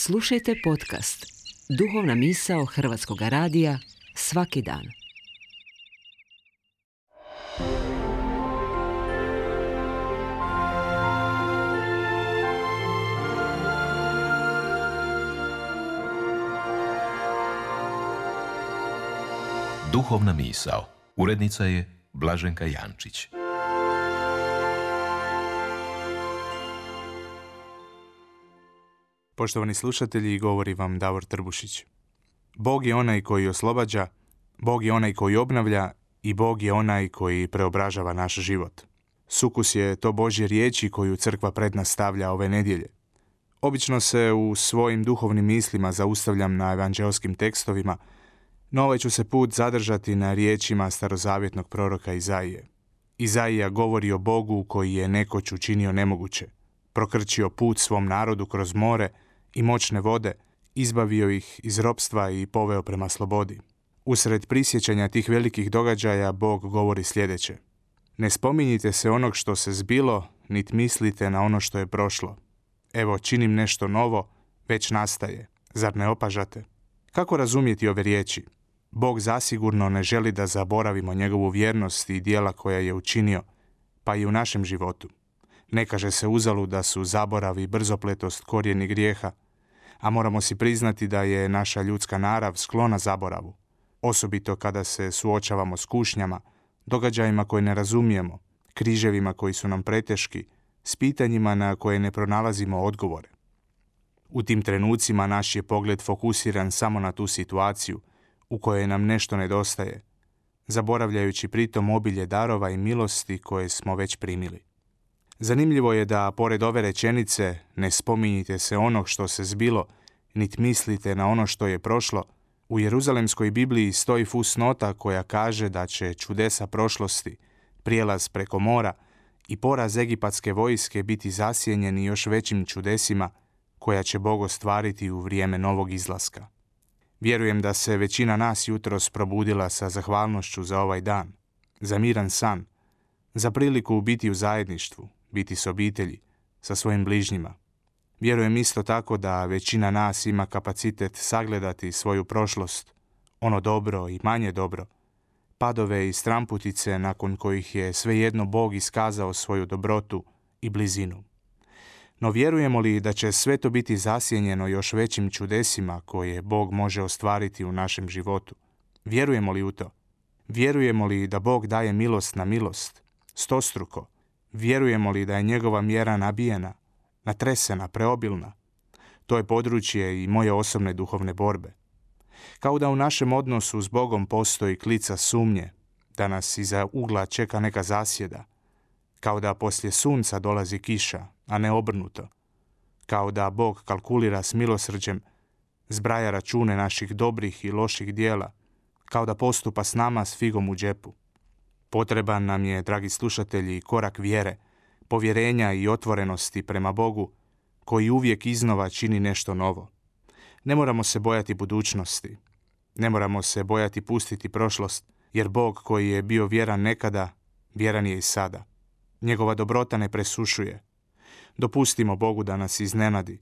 Slušajte podcast Duhovna misao Hrvatskog radija svaki dan. Duhovna misao. Urednica je Blaženka Jančić. Poštovani slušatelji, govori vam Davor Trbušić. Bog je onaj koji oslobađa, Bog je onaj koji obnavlja i Bog je onaj koji preobražava naš život. Sukus je to Božje riječi koju crkva pred nas stavlja ove nedjelje. Obično se u svojim duhovnim mislima zaustavljam na evanđelskim tekstovima, no ovaj ću se put zadržati na riječima starozavjetnog proroka Izaije. Izaija govori o Bogu koji je nekoć učinio nemoguće, prokrčio put svom narodu kroz more i moćne vode, izbavio ih iz ropstva i poveo prema slobodi. Usred prisjećanja tih velikih događaja Bog govori sljedeće: ne spominjite se onog što se zbilo, nit mislite na ono što je prošlo. Evo, činim nešto novo, već nastaje. Zar ne opažate? Kako razumjeti ove riječi? Bog zasigurno ne želi da zaboravimo njegovu vjernost i djela koja je učinio, pa i u našem životu. Ne kaže se uzalud da su zaborav i brzopletost korijeni grijeha, a moramo si priznati da je naša ljudska narav sklona zaboravu, osobito kada se suočavamo s kušnjama, događajima koje ne razumijemo, križevima koji su nam preteški, s pitanjima na koje ne pronalazimo odgovore. U tim trenucima naš je pogled fokusiran samo na tu situaciju u kojoj nam nešto nedostaje, zaboravljajući pritom obilje darova i milosti koje smo već primili. Zanimljivo je da, pored ove rečenice, ne spominjite se onog što se zbilo, nit mislite na ono što je prošlo, u Jeruzalemskoj Bibliji stoji fusnota koja kaže da će čudesa prošlosti, prijelaz preko mora i poraz egipatske vojske biti zasjenjeni još većim čudesima koja će Bog ostvariti u vrijeme novog izlaska. Vjerujem da se većina nas jutros probudila sa zahvalnošću za ovaj dan, za miran san, za priliku biti u zajedništvu, biti s obitelji, sa svojim bližnjima. Vjerujem isto tako da većina nas ima kapacitet sagledati svoju prošlost, ono dobro i manje dobro, padove i stramputice nakon kojih je svejedno Bog iskazao svoju dobrotu i blizinu. No vjerujemo li da će sve to biti zasjenjeno još većim čudesima koje Bog može ostvariti u našem životu? Vjerujemo li u to? Vjerujemo li da Bog daje milost na milost, stostruko? Vjerujemo li da je njegova mjera nabijena, natresena, preobilna? To je područje i moje osobne duhovne borbe. Kao da u našem odnosu s Bogom postoji klica sumnje, da nas iza ugla čeka neka zasjeda, kao da poslije sunca dolazi kiša, a ne obrnuto, kao da Bog kalkulira s milosrđem, zbraja račune naših dobrih i loših dijela, kao da postupa s nama s figom u džepu. Potreban nam je, dragi slušatelji, korak vjere, povjerenja i otvorenosti prema Bogu, koji uvijek iznova čini nešto novo. Ne moramo se bojati budućnosti, ne moramo se bojati pustiti prošlost, jer Bog koji je bio vjeran nekada, vjeran je i sada. Njegova dobrota ne presušuje. Dopustimo Bogu da nas iznenadi.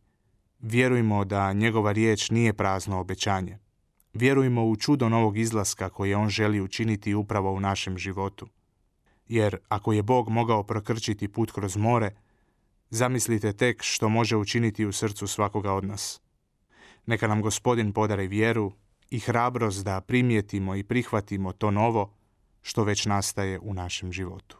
Vjerujmo da njegova riječ nije prazno obećanje. Vjerujmo u čudo novog izlaska koje on želi učiniti upravo u našem životu. Jer ako je Bog mogao prokrčiti put kroz more, zamislite tek što može učiniti u srcu svakoga od nas. Neka nam Gospodin podari vjeru i hrabrost da primijetimo i prihvatimo to novo što već nastaje u našem životu.